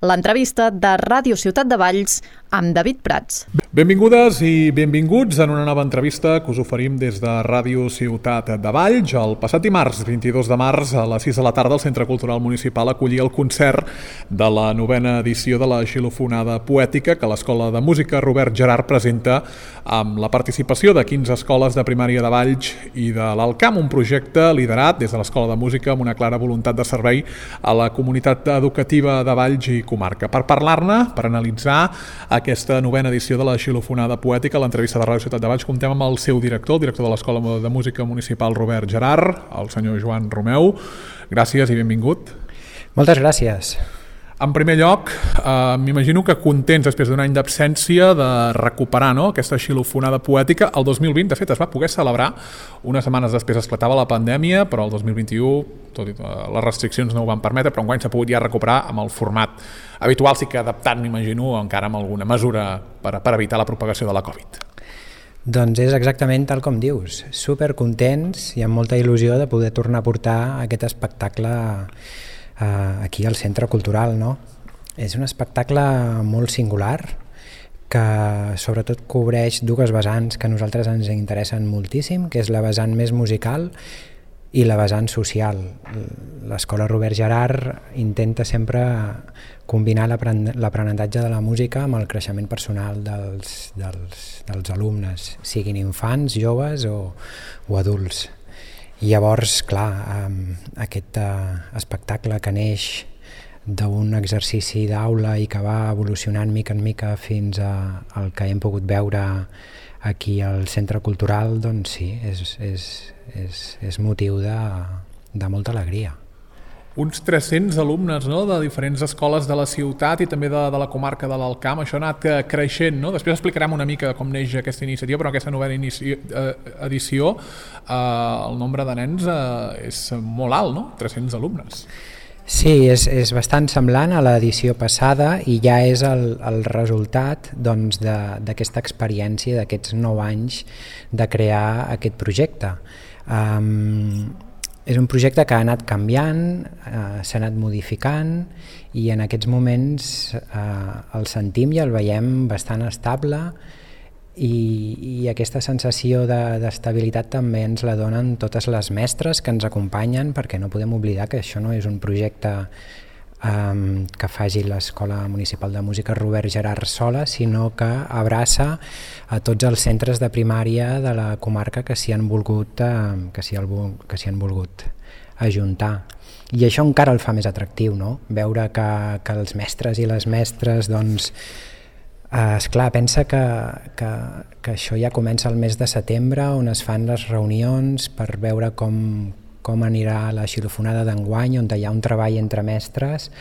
l'entrevista de Ràdio Ciutat de Valls amb David Prats. Benvingudes i benvinguts en una nova entrevista que us oferim des de Ràdio Ciutat de Valls. El passat dimarts, 22 de març, a les 6 de la tarda, el Centre Cultural Municipal acollia el concert de la 9ª edició de la Xilofonada Poètica que l'Escola de Música Robert Gerhard presenta amb la participació de 15 escoles de primària de Valls i de l'Alcamp, un projecte liderat des de l'Escola de Música amb una clara voluntat de servei a la comunitat educativa de Valls i comarca. Per parlar-ne, per analitzar aquesta 9ª edició de la Xilofonada Poètica, a l'entrevista de Ràdio Ciutat de Valls, comptem amb el seu director, el director de l'Escola de Música Municipal Robert Gerhard, el senyor Joan Romeu. Gràcies i benvingut. Moltes gràcies. En primer lloc, m'imagino que contents després d'un any d'absència de recuperar aquesta xilofonada poètica. El 2020, de fet, es va poder celebrar. Unes setmanes després esclatava la pandèmia, però el 2021, tot i les restriccions no ho van permetre, però enguany s'ha pogut ja recuperar amb el format habitual, sí que adaptat, m'imagino, encara amb alguna mesura per evitar la propagació de la Covid. Doncs és exactament tal com dius. Supercontents i amb molta il·lusió de poder tornar a portar aquest espectacle aquí al Centre Cultural, no? És un espectacle molt singular que sobretot cobreix dues vessants que a nosaltres ens interessen moltíssim, que és la vessant més musical i la vessant social. L'Escola Robert Gerhard intenta sempre combinar l'aprenentatge de la música amb el creixement personal dels alumnes, siguin infants, joves o adults. I llavors, clar, aquest espectacle que neix d'un exercici d'aula i que va evolucionant mica en mica fins al que hem pogut veure aquí al Centre Cultural, doncs sí, és motiu de molta alegria. Uns 300 alumnes, no?, de diferents escoles de la ciutat i també de la comarca de l'Alcamp. Això ha anat creixent, no? Després explicarem una mica com neix aquesta iniciativa, però aquesta 9ª edició el nombre de nens és molt alt, no? 300 alumnes. Sí, és bastant semblant a l'edició passada i ja és el resultat d'aquesta experiència, d'aquests 9 anys de crear aquest projecte. És un projecte que ha anat canviant, s'ha anat modificant i en aquests moments el sentim i el veiem bastant estable i aquesta sensació d'estabilitat també ens la donen totes les mestres que ens acompanyen, perquè no podem oblidar que això no és un projecte que faci l'Escola Municipal de Música Robert Gerhard sola, sinó que abraça a tots els centres de primària de la comarca que s'hi han volgut ajuntar. I això encara el fa més atractiu, no? Veure que els mestres i les mestres, doncs, esclar, pensa que això ja comença el mes de setembre, on es fan les reunions per veure com anirà la xilofonada d'enguany, on hi ha un treball entre mestres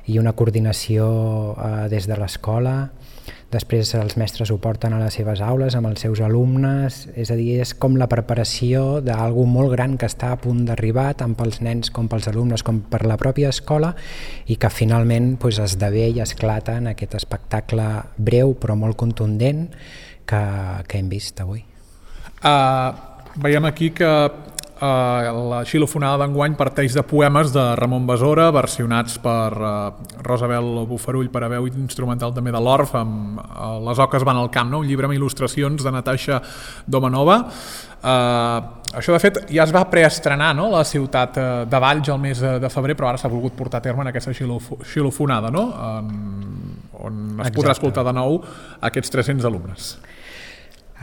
i una coordinació des de l'escola. Després els mestres ho porten a les seves aules amb els seus alumnes, és a dir, és com la preparació d'algú molt gran que està a punt d'arribar, tant pels nens com pels alumnes com per la pròpia escola, i que finalment esdevé i esclata en aquest espectacle breu però molt contundent que hem vist avui. Veiem aquí que la xilofonada d'enguany parteix de poemes de Ramon Besora, versionats per Rosabel Bofarull per a veu instrumental també de l'Orf, amb Les oques van al camp, un llibre amb il·lustracions de Natasha Domanova. Això, de fet, ja es va preestrenar, no?, a la ciutat de Valls el mes de febrer, però ara s'ha volgut portar a terme en aquesta xilofonada, no?, on es podrà escoltar de nou aquests 300 alumnes.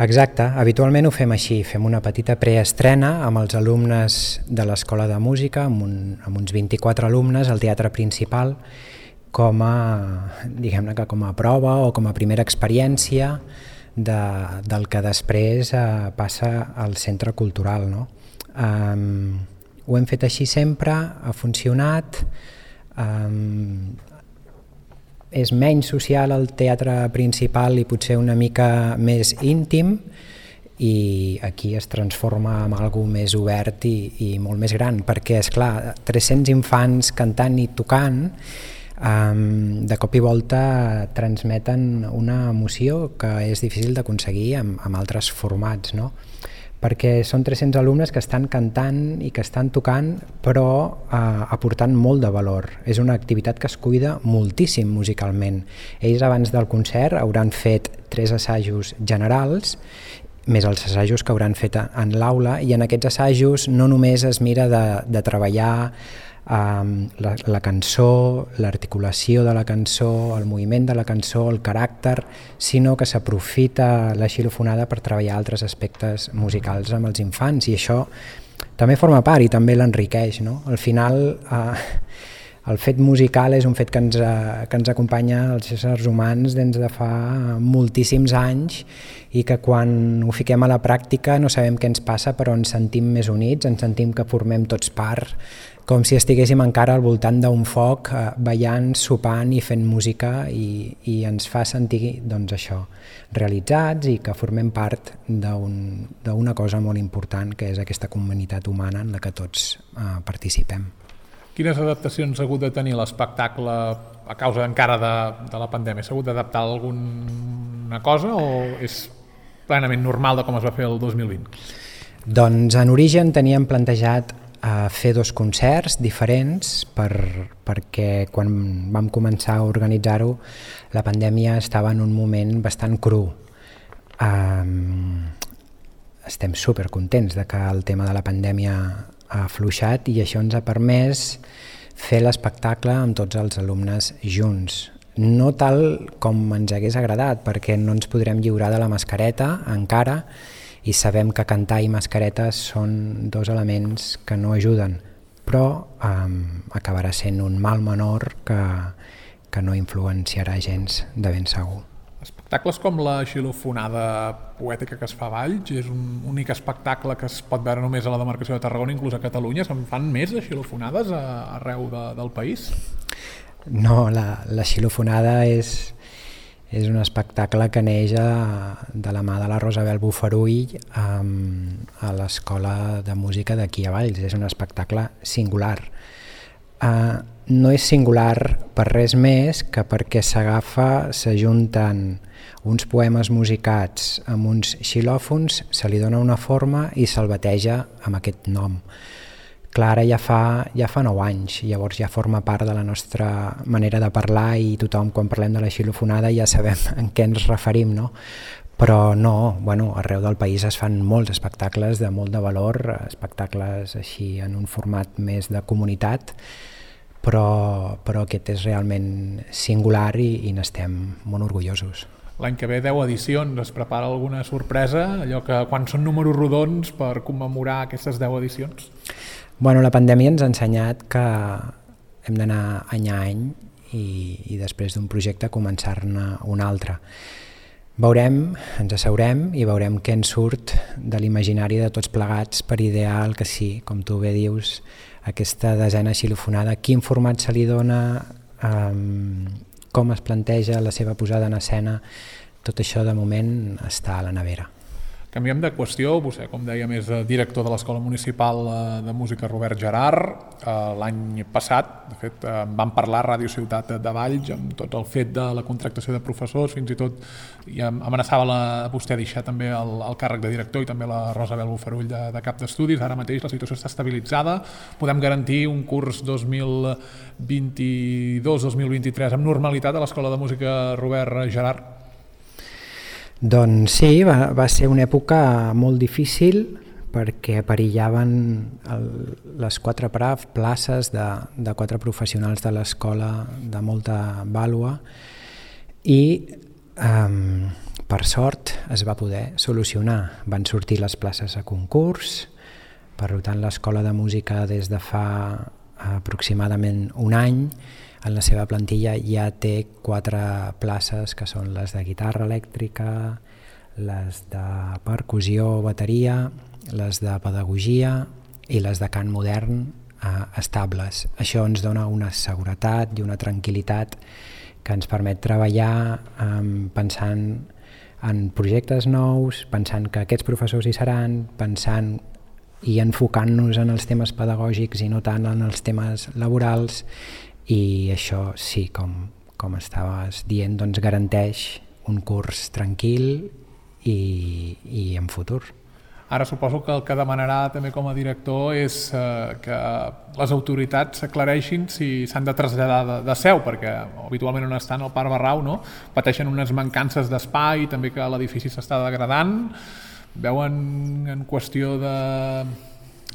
Exacte, habitualment ho fem així, fem una petita preestrena amb els alumnes de l'Escola de Música, amb uns 24 alumnes al teatre principal, com a prova o com a primera experiència del que després passa al Centre Cultural, no? Ho hem fet així sempre, ha funcionat. És menys social el teatre principal i potser una mica més íntim, i aquí es transforma en algo més obert i molt més gran, perquè, esclar, 300 infants cantant i tocant de cop i volta transmeten una emoció que és difícil d'aconseguir amb altres formats, no? perquè són 300 alumnes que estan cantant i que estan tocant, però aportant molt de valor. És una activitat que es cuida moltíssim musicalment. Ells abans del concert hauran fet 3 assajos generals, més els assajos que hauran fet en l'aula, i en aquests assajos no només es mira de treballar la cançó, l'articulació de la cançó, el moviment de la cançó, el caràcter, sinó que s'aprofita la xilofonada per treballar altres aspectes musicals amb els infants, i això també forma part i també l'enriqueix, no? Al final el fet musical és un fet que ens acompanya als éssers humans des de fa moltíssims anys, i que quan ho fiquem a la pràctica no sabem què ens passa, però ens sentim més units, ens sentim que formem tots part, com si estiguéssim encara al voltant d'un foc, ballant, sopant i fent música, i ens fa sentir doncs, això, realitzats, i que formem part d'una cosa molt important, que és aquesta comunitat humana en la que tots participem. Quines adaptacions ha hagut de tenir l'espectacle a causa encara de la pandèmia? S'ha hagut d'adaptar alguna cosa o és plenament normal de com es va fer el 2020? Doncs en origen teníem plantejat fer 2 concerts diferents perquè quan vam començar a organitzar-ho la pandèmia estava en un moment bastant cru. Estem supercontents de que el tema de la pandèmia ha afluixat, i això ens ha permès fer l'espectacle amb tots els alumnes junts. No tal com ens hagués agradat, perquè no ens podrem lliurar de la mascareta encara, i sabem que cantar i mascareta són 2 elements que no ajuden, però acabarà sent un mal menor que no influenciarà gens, de ben segur. Espectacles com la xilofonada poètica que es fa a Valls és un únic espectacle que es pot veure només a la demarcació de Tarragona, inclús a Catalunya. Se'n fan més de xilofonades arreu del país? No, la xilofonada és un espectacle que neix de la mà de la Rosabel Bofarull a l'Escola de Música d'aquí a Valls. És un espectacle singular. No és singular per res més que perquè s'ajunten uns poemes musicats amb uns xilòfons, se li dona una forma i se'l bateja amb aquest nom. Clar, ara ja fa 9 anys, llavors ja forma part de la nostra manera de parlar, i tothom quan parlem de la xilofonada ja sabem en què ens referim, no? Però no, arreu del país es fan molts espectacles de molt de valor, espectacles així en un format més de comunitat, però aquest és realment singular i n'estem molt orgullosos. L'any que ve 10 edicions, es prepara alguna sorpresa, allò que quan són números rodons per commemorar aquestes 10 edicions? La pandèmia ens ha ensenyat que hem d'anar any a any i després d'un projecte començar-ne un altre. Ens asseurem i veurem què ens surt de l'imaginari de tots plegats per idear el que sí, com tu bé dius, aquesta desena xilofonada, quin format se li dona, com es planteja la seva posada en escena, tot això de moment està a la nevera. Canviem de qüestió, vostè, com dèiem, és director de l'Escola Municipal de Música Robert Gerhard. L'any passat, de fet, vam parlar a Ràdio Ciutat de Valls amb tot el fet de la contractació de professors, fins i tot amenaçava vostè deixar també el càrrec de director, i també la Rosabel Bofarull de cap d'estudis. Ara mateix la situació està estabilitzada. Podem garantir un curs 2022-2023 amb normalitat a l'Escola de Música Robert Gerhard? Doncs sí, va ser una època molt difícil perquè perillaven les 4 places de 4 professionals de l'escola de molta vàlua, i per sort es va poder solucionar. Van sortir les places a concurs, per tant l'escola de música des de fa aproximadament un any en la seva plantilla ja té 4 places, que són les de guitarra elèctrica, les de percussió o bateria, les de pedagogia i les de cant modern estables. Això ens dona una seguretat i una tranquil·litat que ens permet treballar pensant en projectes nous, pensant que aquests professors hi seran, pensant i enfocant-nos en els temes pedagògics i no tant en els temes laborals. I això sí, com estaves dient, doncs garanteix un curs tranquil i en futur. Ara suposo que el que demanarà també com a director és que les autoritats aclareixin si s'han de traslladar de seu, perquè habitualment on estan al Parc Barrau, no? Pateixen unes mancances d'espai, també que l'edifici s'està degradant. Veuen en qüestió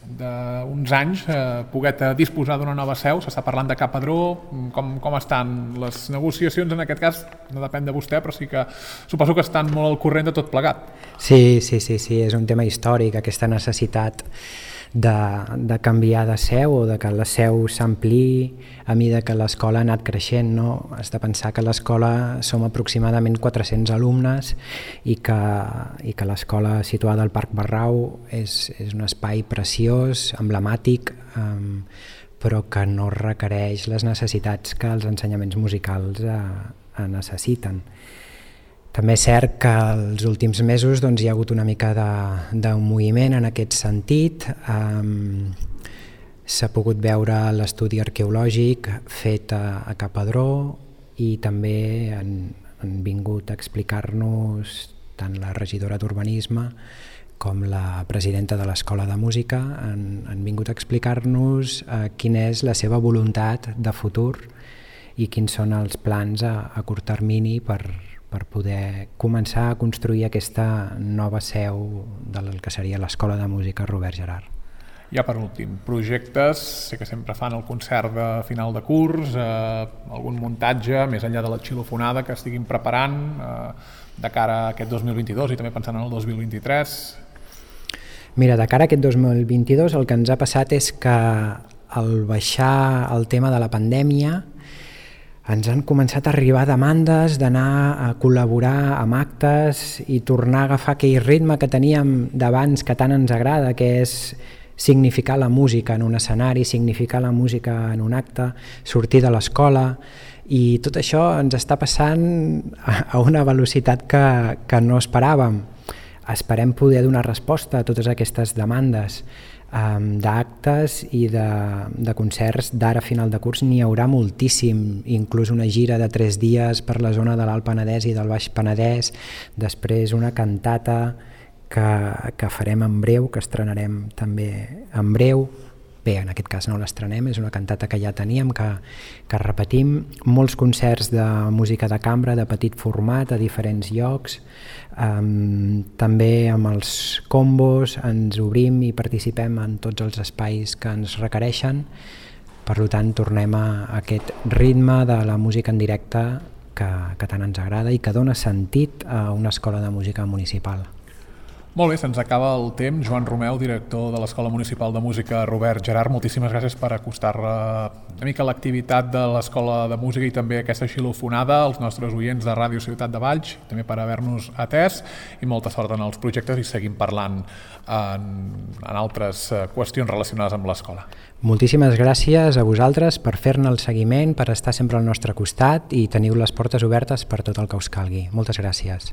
d'uns anys poder disposar d'una nova seu, s'està parlant de Ca Padró, com estan les negociacions en aquest cas? No depèn de vostè, però sí que suposo que estan molt al corrent de tot plegat. Sí, és un tema històric, aquesta necessitat de canviar de seu o de que la seu s'ampliï a mesura que l'escola ha anat creixent, no? Has de pensar que a l'escola som aproximadament 400 alumnes i que l'escola situada al Parc Barrau és un espai preciós, emblemàtic, però que no requereix les necessitats que els ensenyaments musicals necessiten. També és cert que els últims mesos hi ha hagut una mica d'un moviment en aquest sentit. S'ha pogut veure l'estudi arqueològic fet a Ca Padró i també han vingut a explicar-nos tant la regidora d'Urbanisme com la presidenta de l'Escola de Música han vingut a explicar-nos quina és la seva voluntat de futur i quins són els plans a curt termini per poder començar a construir aquesta nova seu del que seria l'Escola de Música Robert Gerhard. Ja per últim, projectes, sé que sempre fan el concert de final de curs, algun muntatge, més enllà de la xilofonada que estiguin preparant de cara a aquest 2022 i també pensant en el 2023? Mira, de cara a aquest 2022 el que ens ha passat és que al baixar el tema de la pandèmia ens han començat a arribar demandes d'anar a col·laborar amb actes i tornar a agafar aquell ritme que teníem d'abans que tant ens agrada, que és significar la música en un escenari, significar la música en un acte, sortir de l'escola, i tot això ens està passant a una velocitat que no esperàvem. Esperem poder donar resposta a totes aquestes demandes d'actes i de concerts d'ara a final de curs. N'hi haurà moltíssim, inclús una gira de 3 dies per la zona de l'Alt Penedès i del Baix Penedès, després una cantata que farem en breu, que estrenarem també en breu. Bé, en aquest cas no l'estrenem, és una cantata que ja teníem, que repetim, molts concerts de música de cambra de petit format a diferents llocs, també amb els combos ens obrim i participem en tots els espais que ens requereixen. Per tant, tornem a aquest ritme de la música en directe que tant ens agrada i que dona sentit a una escola de música municipal. Molt bé, se'ns acaba el temps. Joan Romeu, director de l'Escola Municipal de Música Robert Gerhard, moltíssimes gràcies per acostar una mica l'activitat de l'Escola de Música i també aquesta xilofonada als nostres oients de Ràdio Ciutat de Valls, també per haver-nos atès, i molta sort en els projectes i seguim parlant en altres qüestions relacionades amb l'escola. Moltíssimes gràcies a vosaltres per fer-ne el seguiment, per estar sempre al nostre costat, i teniu les portes obertes per tot el que us calgui. Moltes gràcies.